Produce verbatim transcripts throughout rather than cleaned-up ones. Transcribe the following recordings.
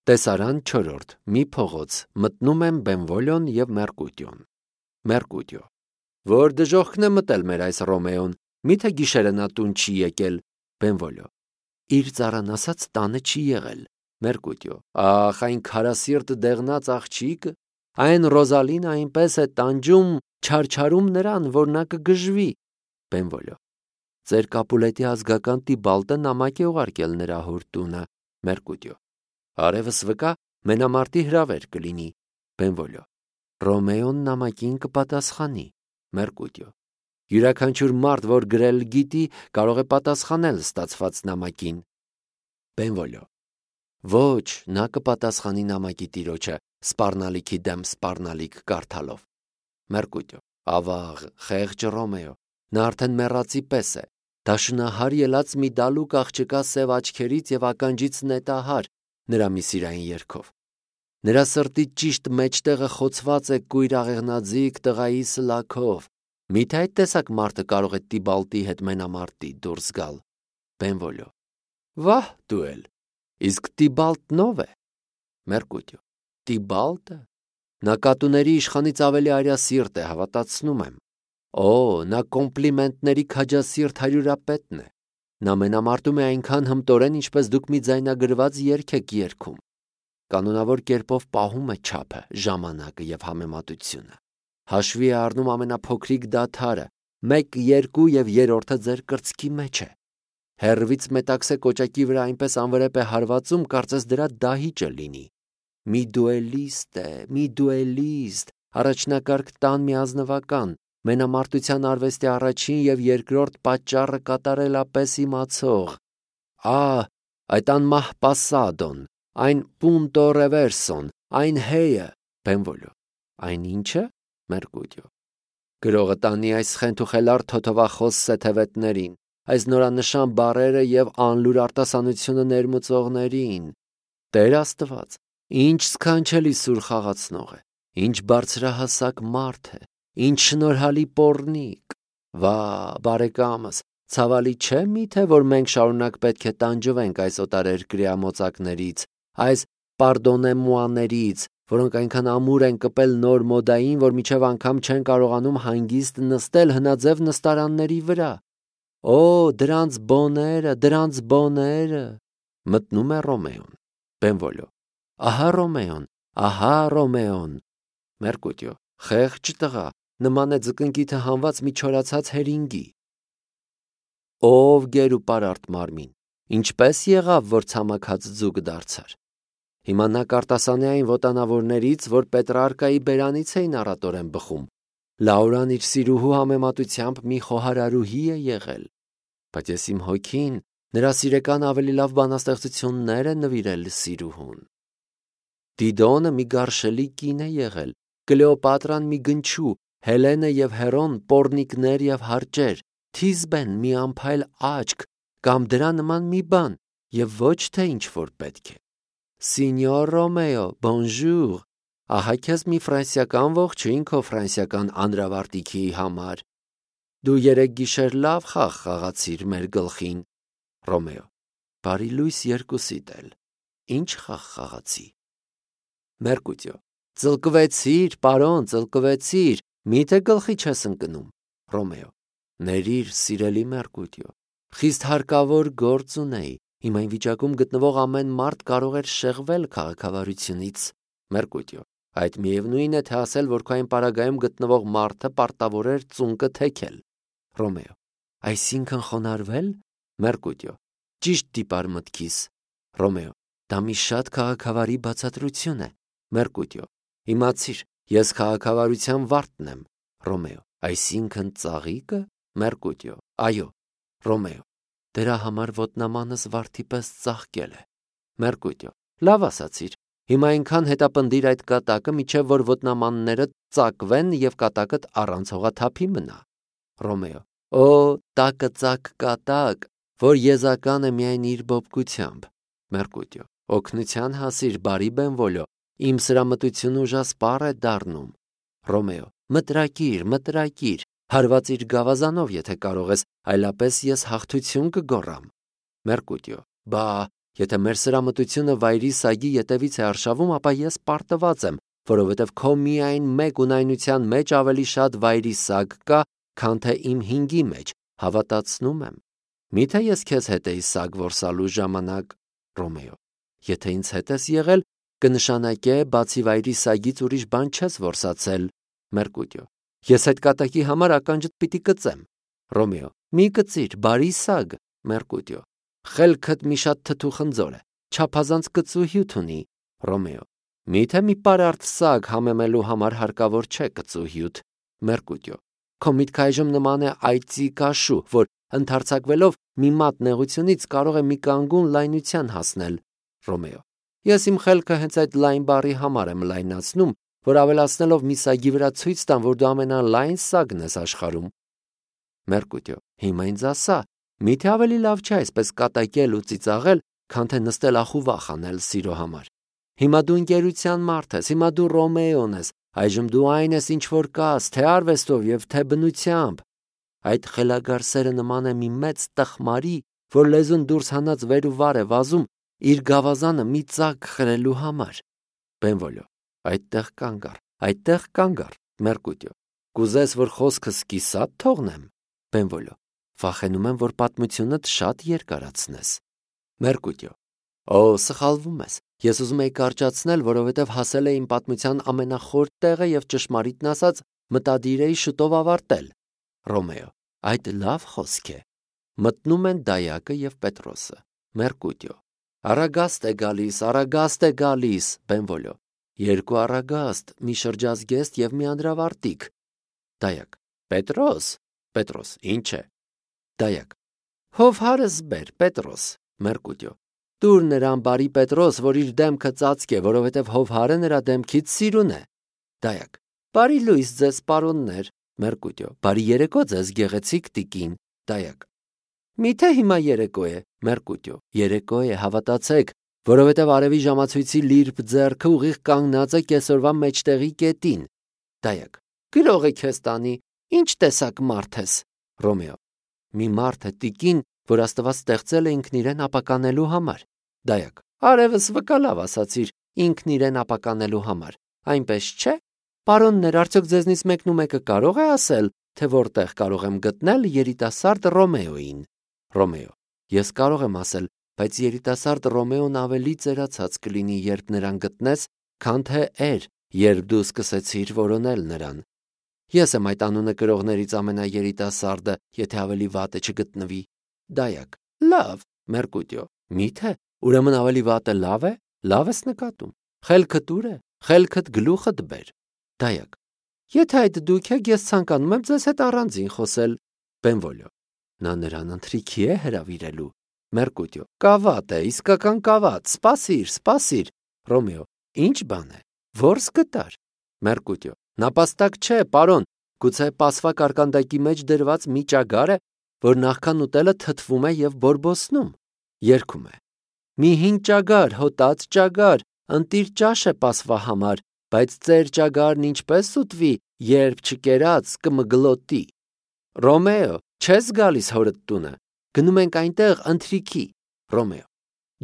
Տեսարան չորրորդ. Մի փողոց, մտնում են Բենվոլիոն և Մերկուտիոն։ Մերկուտիո. Որ դժոխքն է մտել մեր այս Ռոմեոն, միթե գիշերը նա տուն չի եկել։ Բենվոլիո. Իր ծառան ասած տանը չի եղել։ Մերկուտիո. Ախ, այն քարասիրտ դեղնած աղջիկը, այն Ռոզալին այնպես է տանջում, չարչարում նրան, որ նա կգժվի։ Բենվոլիո. Ձեր Կապուլետի ազգական Տիբալտը նամակ է ուղարկել նրա հոր տունը։ Մերկուտիո. Արևս վկա, մենամարտի հրավեր կլինի։ Բենվոլիո. Ռոմեոն նամակին կպատասխանի։ Մերկուտիո. Յուրաքանչյուր մարդ, որ գրել գիտի, կարող է պատասխանել ստացված նամակին։ Բենվոլիո. Ոչ, նա կպատասխանի նամակի տիրոջը սպառնալիքի դեմ սպառնալիք կարդալով։ Մերկուտիո. Ավաղ, խեղճ Ռոմեո, նա արդեն մեռածի պես է, դաշնահար ելած մի դալուկ աղջկա սև աչքերից և ականջից նետահար նրա մի սիրային երգով։ Նրա սրտի ճիշտ մեջտեղը խոցված է կույր աղեղնաձիգ տղայի սլաքով։ Միթե այդ տեսակ մարդը կարող է Տիբալտի հետ մենամարտի դուրս գալ։ Բենվոլիո. Վահ դու էլ, իսկ Տիբալտն ով է։ Մերկուտիո. Տիբալտը։ Նա կատուների իշխանից ավելի արյասիրտ է, հավատացնում եմ։ Օ, նա կոմպլիմենտների քաջասիրտ հարյուրապետն է։ Նա մենամարտում է այնքան հմտորեն, ինչպես դուք մի ձայնագրված երգ եք երգում։ Կանոնավոր կերպով պահում է չափը, ժամանակը և համեմատությունը։ Հաշվի է առնում ամենափոքրիկ դադարը, մեկ, երկու և երրորդը ձեր կրծքի մեջ է։ Հեռվից մետաքսե կոճակի վրա այնպես անվրեպ է հարվածում, կարծես դրա դահիճը լինի։ Մի դուելիստ է, մի դուելիստ, առաջնակարգ տան մի ազնվական, մենամարտության արվեստի առաջին և երկրորդ պատճառը կատարելապես իմացող։ Ա, այդ անմահ Պասադոն, այն Պունտո Ռևերսոն, այն հեյը։ Բենվոլիո. Այն ի՞նչը։ Մերկուտիո. Գրողը տանի այս խենթուխելառ թոթովախոս սեթևետներին, այս նորանշան բառերը և անլուր արտասանությունը ներմուծողներին։ Տեր Աստված, ինչ սքանչելի սուր խաղացնող է, ինչ բարձրահասակ մարդ է, ինչ շնորհալի պոռնիկ։ Վա, բարեկամս, ցավալի չէ՞ միթե, որ մենք շարունակ պետք է տանջվենք այս օտարերկրյա մոծակներից, այս պարդոնեմուաներից, որոնք այնքան ամուր են կպել նոր մոդային, որ մինչև անգամ չեն կարողանում հանգիստ նստել հնաձև նստարանների վրա։ Օ, դրանց բոները, դրանց բոները։ Մտնում է Ռոմեոն։ Բենվոլիո. Ահա Ռոմեոն, ահա Ռոմեոն։ Մերկուտիո. Խեղճ տղա, նման է ձկնկիթը հանված մի չորացած հերինգի։ Ով գեր ու պարարտ մարմին, ինչպես եղավ, որ ցամաքած ձուկ դարձար։ Հիմա նա կարտասանի այն ոտանավորներից, որ Պետրարկայի բերանից էին առատորեն բխում։ Լաուրան իր սիրուհու համեմատությամբ մի խոհարարուհի է եղել։ Բայց ես իմ հոգին նրա սիրեկան ավելի լավ բանաստեղծություններ է նվիրել սիրուհուն։ Դիդոնը մի գարշելի կին է եղել, Կլեոպատրան մի գնչու, Հելենը և Հերոն պոռնիկներ և հարճեր, Թիզբեն մի անփայլ աչք կամ դրա նման մի բան, և ոչ թե ինչ-որ պետք է։ Սինյոր Ռոմեո, բոնժուր, ահա քեզ մի ֆրանսիական ողջույն քո ֆրանսիական անդրավարտիքի համար։ Դու երեք գիշեր լավ խաղ խաղացիր մեր գլխին։ Ռոմեո. Բարի լույս երկուսիդ էլ։ Ինչ խաղ խաղացի։ Մերկուտիո. Ծլկվեցիր, պարոն, ծլկվեցիր, միթե գլխի չես ընկնում։ Ռոմեո. Ներիր, սիրելի Մերկուտիո, խիստ հարկավոր գործ ունեի, հիմա այն վիճակում գտնվող ամեն մարդ կարող էր շեղվել քաղաքավարությունից։ Մերկուտիո. Այդ միևնույն է, թե ասել, որ քո այն պարագայում գտնվող մարդը պարտավոր էր ծունկը թեքել։ Ռոմեո. Այսինքն խոնարհվել։ Մերկուտիո. Ճիշտ դիպար մտքիս։ Ռոմեո. Դա մի շատ քաղաքավարի բացատրություն է։ Մերկուտիո. Իմացիր, ես քաղաքավարության վարդն եմ։ Ռոմեո. Այսինքն ծաղիկը։ Մերկուտիո. Այո։ Ռոմեո. Դրա համար ոտնամանս վարդի պես ծաղկել է։ Մերկուտիո. Լավ ասացիր։ Հիմա այնքան հետապնդիր այդ կատակը, միջև որ ոտնամանները ծակվեն և կատակդ առանց հողաթափի մնա։ Ռոմեո. Օ, տակը ծակ կատակ, որ եզական է միայն իր բոբկությամբ։ Մերկուտիո. Օգնության հասիր, բարի Բենվոլիո, իմ սրամտությունը ուժասպառ է դառնում։ Ռոմեո. Մտրակիր, մտրակիր, հարվածիր գավազանով, եթե կարող ես, այլապես ես հաղթություն կգոռամ։ Մերկուտիո. Բա, Եթե մեր սրամտությունը վայրի սագի ետևից է արշավում, ապա ես պարտված եմ, որովհետև քո միայն մեկ ունայնության մեջ ավելի շատ վայրի սագ կա, քան թե իմ հինգի մեջ, հավատացնում եմ։ Միթե ես քեզ հետ էի սագ որսալու ժամանակ, Ռոմեո։ Եթե ինձ հետ ես եղել, կնշանակե բացի վայրի սագից ուրիշ բան չես որսացել, Մերկուտիո։ Ես այդ կատակի համար ականջդ պիտի կծեմ, Ռոմեո։ Մի կծիր, բարի սագ, Մերկուտիո։ Խելքդ մի շատ թթու խնձոր է, չափազանց կծուհյութ ունի, Ռոմեո։ Միթե մի պարարտ սագ համեմելու համար հարկավոր չէ կծուհյութ, Մերկուտիո։ Քո միտքը այժմ նման է այծի կաշու, որ ընդարձակվելով մի մատ նեղությունից կարող է մի կանգուն լայնության հասնել, Ռոմեո։ Ես իմ խելքը հենց այդ լայն բառի համար եմ լայնացնում, որ ավելացնելով մի սագի վրա ցույց տամ, որ դու ամենալայն սագն ես աշխարհում։ Մերկուտիո։ Հիմա ինձ ասա, միթե ավելի լավ չէ այսպես կատակել ու ծիծաղել, քան թե նստել ախուվախ անել սիրո համար։ Հիմա դու ընկերության մարդ ես, հիմա դու Ռոմեոն ես, այժմ դու այն ես, ինչ որ կաս, թե արվեստով եւ թե բնությամբ։ Այդ խելագար սերը նման է մի մեծ տխմարի, որ լեզուն դուրս հանած վեր ու վար է վազում իր գավազանը մի ծակ խրելու համար։ Բենվոլիո։ Այդտեղ կանգ առ, այդտեղ կանգ առ, Մերկուտիո։ Կուզես, որ խոսքս կիսատ թողնեմ, Բենվոլիո։ Վախենում եմ, որ պատմությունդ շատ երկարացնես, Մերկուտիո։ Օ, սխալվում ես։ Ես ուզում եի կարճացնել, որովհետև հասել է իմ պատմության ամենախոր տեղը եւ ճշմարիտն ասած մտադիր էի շուտով ավարտել, Ռոմեո։ Այդ լավ խոսք է։ Մտնում են Դայակը եւ Պետրոսը, Մերկուտիո։ Արագաստ է գալիս, արագաստ է գալիս, Բենվոլիո։ Երկու արագաստ, մի շրջազգեստ եւ մի անդրավարտիկ։ Դայակ։ Պետրոս, Պետրոս, ինչ է։ Դայակ։ Հովհարս բեր, Պետրոս, Մերկուտիո։ Տուր նրան բարի Պետրոս, որ իր դեմքը ծածկ է, որովհետև հովհարը նրա դեմքից սիրուն է։ Դայակ։ Բարի լույս ձեզ, պարոններ, Մերկուտիո։ Բարի երեկո ձեզ, գեղեցիկ տիկին, Դայակ։ Միթե հիմա երեկո է, Մերկուտիո։ Երեկո է, հավատացեք, որովհետև արևի ժամացույցի լիրբ ձեռքը ուղիղ կանգնած է կեսօրվա մեջտեղի կետին։ Դայակ։ Գրող է քեզ տանի, ինչ տեսակ մարդ ես, Ռոմեո։ Մի մարդ է տիկին, որ Աստված ստեղծել է ինքն իրեն ապականելու համար։ Դայակ։ Արևս վկա լավ ասացիր, ինքն իրեն ապականելու համար։ Այնպես չէ։ Պարոններ, արդյոք ձեզնից մեկն ու մեկը կարող է ասել, թե որտեղ կարող եմ գտնել երիտասարդ Ռոմեոին։ Ռոմեո։ Ես կարող եմ ասել, բայց երիտասարդ Ռոմեոն ավելի ծերացած կլինի, երբ նրան գտնես, քան թե էր, երբ դու սկսեցիր որոնել նրան։ Ես եմ այդ անունը կրողներից ամենաերիտասարդը, եթե ավելի վատը չգտնվի։ Դայակ։ Լավ, Մերկուտիո։ Միթե, ուրեմն ավելի վատը լավ է, լավ ես նկատում։ Խելքդ ուր է, խելքդ գլուխդ բեր։ Դայակ։ Եթե այդ դուք եք, ես ցանկանում եմ ձեզ հետ առանձին խոսել, Բենվոլիո։ Նա նրան ընթրիքի է հրավիրելու, Մերկուտիո։ Կավատ է, իսկական կավատ, սպասիր, սպասիր, Ռոմեո։ Ինչ բան է, որս գտար, Մերկուտիո։ Նապաստակ չէ, պարոն, գուցե պասվա կարկանդակի մեջ դրված մի ճագար է, որ նախքան ուտելը թթվում է եւ բորբոսնում, երգում է։ Մի հին ճագար, հոտած ճագար, ընտիր ճաշ է պասվա համար, բայց ծեր ճագարն ինչպես ուտվի, երբ չկերած կմգլոտի։ Ռոմեո, չես գալիս հորդ տունը, գնում ենք այնտեղ ընթրիքի, Ռոմեո։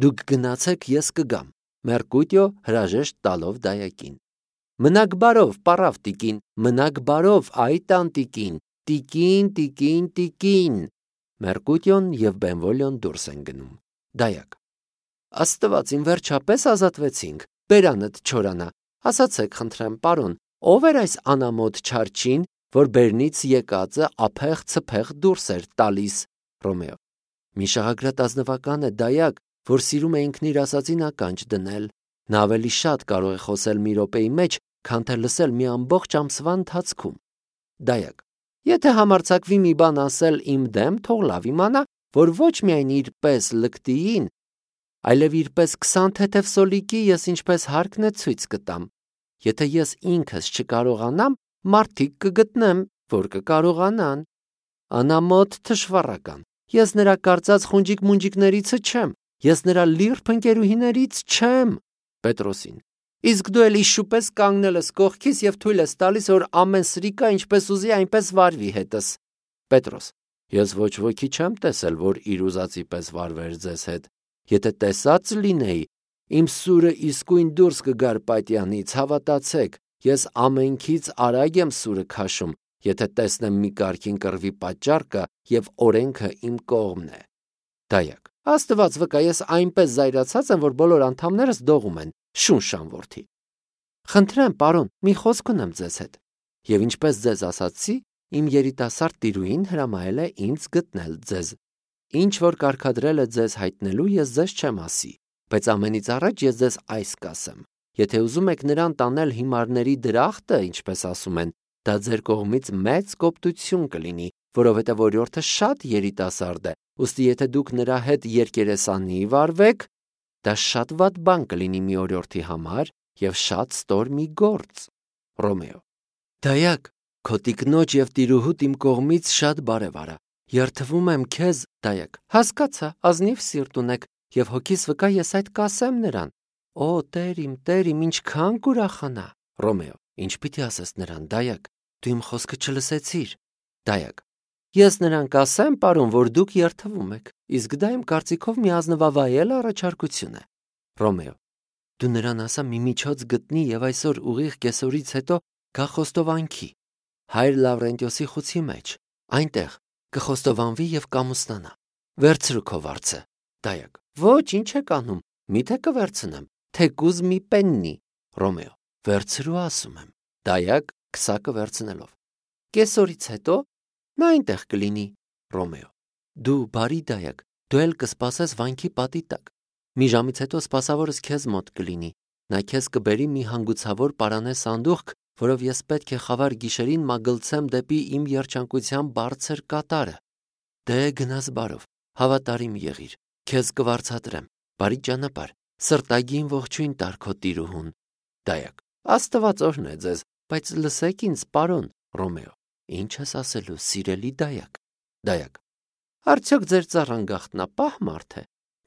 Դուք գնացեք, ես կգամ, Մերկուտիո հրաժեշտ տալով Դայակին։ Մնաք բարով, պարավ տիկին, մնաք բարով, այ տանտիկին, տիկին, տիկին, տիկին։ Մերկուտիոն եւ Բենվոլիոն դուրս են գնում։ Դայակ։ Աստված, իմ վերջապես ազատվեցինք, բերանդ չորանա, ասացեք խնդրեմ, պարոն, ով էր այս անամոթ չարչին, որ բերնից եկածը ափեղ ցփեղ դուրս էր տալիս, Ռոմեո։ Մի շահագրատ ազնվական է Դայակ, որ սիրում է ինքն իր ասածին ականջ դնել։ Նա ավելի շատ կարող է խոսել մի րոպեի մեջ, քան թե լսել մի ամբողջ ամսվա ընթացքում։ Դայակ։ Եթե համարձակվի մի բան ասել իմ դեմ, թող լավ իմանա, որ ոչ միայն իր պես լկտիին, այլև իր պես քսան թեթև սոլիկի ես ինչպես հարկն է ցույց կտամ։ Եթե ես ինքս չկարողանամ, մարդիկ կգտնեմ, որ կկարողանան։ Անամոթ թշվառական։ Ես նրա կարծած խունջիկ-մունջիկներիցը չեմ, ես նրա լիրբ ընկերուհիներից չեմ։ Պետրոսին։ Իսկ դու էլ իշուպես կանգնել ես կողքիս եւ թույլ ես տալիս, որ ամեն սրիկա ինչպես ուզի այնպես վարվի հետս։ Պետրոս։ Ես ոչ ոքի չեմ տեսել, որ իր ուզածի պես վարվեր ձեզ հետ։ Եթե տեսած լինեի, իմ սուրը իսկույն դուրս կգար պատյանից, հավատացեք, ես ամենքից արագ եմ սուրը քաշում, եթե տեսնեմ մի կարգին կռվի պատճառ կա եւ օրենքը իմ կողմն է։ Դայակ. Աստված վկա, ես այնպես զայրացած եմ, որ բոլոր անդամներս դողում են, շունշան որդի։ Խնդրեմ, պարոն, մի խոսք ունեմ ձեզ հետ։ Եվ ինչպես ձեզ ասացի, իմ երիտասարդ տիրուհին հրամայել է ինձ գտնել ձեզ։ Ինչ որ կարգադրել է ձեզ հայտնելու, ես ձեզ չեմ ասի, բայց ամենից առաջ ես ձեզ այս կասեմ. եթե ուզում եք նրան տանել հիմարների դրախտը, ինչպես ասում են, դա ձեր կողմից մեծ կոպտություն կլինի, որովհետև օրիորդը շատ երիտասարդ է, ուստի եթե դուք նրա հետ երկերեսանի վարվեք, դա շատ վատ բան կլինի մի օրիորդի համար եւ շատ ստոր մի գործ։ Ռոմեո. Դայակ, քո տիկնոջ եւ տիրուհուտ իմ կողմից շատ բարև արա։ Երթվում եմ քեզ, դայակ։ Հասկացա, ազնիվ սիրտ ունեք եւ հոգիս վկա ես այդ կասեմ նրան։ Օ, Տեր իմ, Տեր իմ, ինչքան կուրախանա։ Ռոմեո. Ինչ պիտի ասես նրան, դայակ, դու իմ խոսքը չլսեցիր։ Դայակ. Ես նրան կասեմ, պարոն, որ դուք երթվում եք, իսկ դա իմ կարծիքով մի ազնվավայել առաջարկություն է։ Ռոմեո. Դու նրան ասա մի միջոց գտնի եւ այսօր ուղիղ կեսօրից հետո գա խոստովանքի Հայր Լավրենտիոսի խուցի մեջ, այնտեղ կխոստովանվի եւ կամուսնանա։ Վերցրու քո վարձը։ Դայակ. Ոչ, ինչ եք անում, միթե կվերցնեմ, թեկուզ մի պեննի։ Ռոմեո. Վերցրու ասում եմ։ Դայակ քսակը վերցնելով։ Կեսօրից հետո նա այնտեղ կլինի։ Ռոմեո. Դու բարի դայակ, դու էլ կսպասես վանքի պատի տակ։ Մի ժամից հետո սպասավորս քեզ մոտ կլինի։ Նա քեզ կբերի մի հանգուցավոր պարանե սանդուղք, որով ես պետք է խավար գիշերին մագլցեմ դեպի իմ երջանկության բարձր կատարը։ Դե գնաս բարով, հավատարիմ եղիր, քեզ կվարձատրեմ, բարի ճանապարհ, սրտագին ողջույն տար քո տիրուհուն։ Դայակ. Աստված օրհն է ձեզ, բայց լսեք ինձ, պարոն։ Ռոմեո. Ինչ ես ասելու, սիրելի դայակ։ Դայակ. Արդյոք ձեր ծառան գաղտնապահ մարդ է։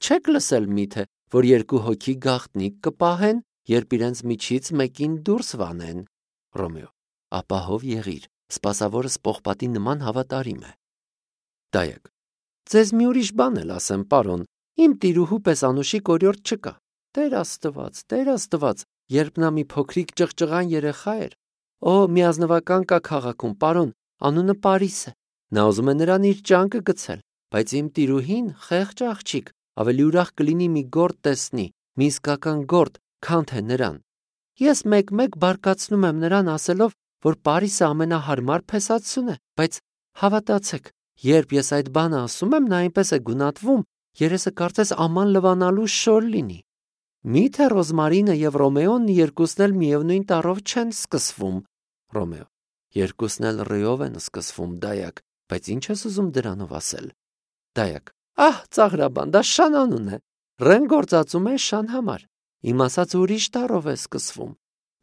Չեք լսել միթե, որ երկու հոգի գաղտնիք կպահեն, երբ իրենց միջից մեկին դուրս վանեն։ Ռոմեո. Ապահով եղիր, սպասավորս պողպատի նման հավատարիմ է։ Դայակ. Ձեզ մի ուրիշ բան էլ ասեմ, պարոն, իմ տիրուհու պես անուշիկ օրիորդ չկա։ Տեր Աստված, Տեր Աստված, երբ նա մի փոքրիկ ճղճղան երեխա էր։ Օ, մի ազնվական կա քաղաքում, պարոն, անունը Պարիս է։ Նա ուզում է նրան իր ճանկը գցել, բայց իմ տիրուհին խեղճ աղջիկ, ավելի ուրախ կլինի մի գործ տեսնի, մի իսկական գործ, քան թե նրան։ Ես մեկ-մեկ բարկացնում եմ նրան ասելով, որ Պարիսը ամենահարմար փեսացուն է, բայց հավատացեք, երբ ես այդ բանը ասում եմ, նա այնպես է գունատվում, երեսը կարծես աման լվանալու շոր լինի։ Միթե Ռոզմարինը եւ Ռոմեոն երկուսն էլ միևնույն տառով չեն սկսվում։ Ռոմեո. Երկուսն էլ ռեով են սկսվում, դայակ, բայց ինչ ես ուզում դրանով ասել։ Դայակ. Ահ, ծաղրաբան, դա շան անուն է։ Ռեն գործածում է շան համար։ Իմ ասած ուրիշ տառով է սկսվում։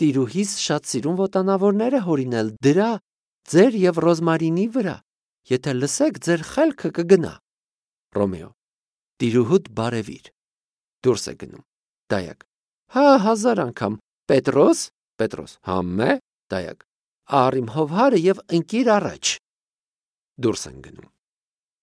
Տիրուհիս շատ սիրուն ոտանավորներ է հորինել դրա, ձեր եւ Ռոզմարինի վրա։ Եթե լսեք, ձեր խելքը կգնա։ Ռոմեո. Տիրուհուդ բարևիր։ Դուրս է գնում։ Դայակ. Հա, հազար անգամ։ Պետրոս, Պետրոս, համե, դայակ. Առ իմ հովհարը եւ ընկիր առաջ։ Դուրս են գնում։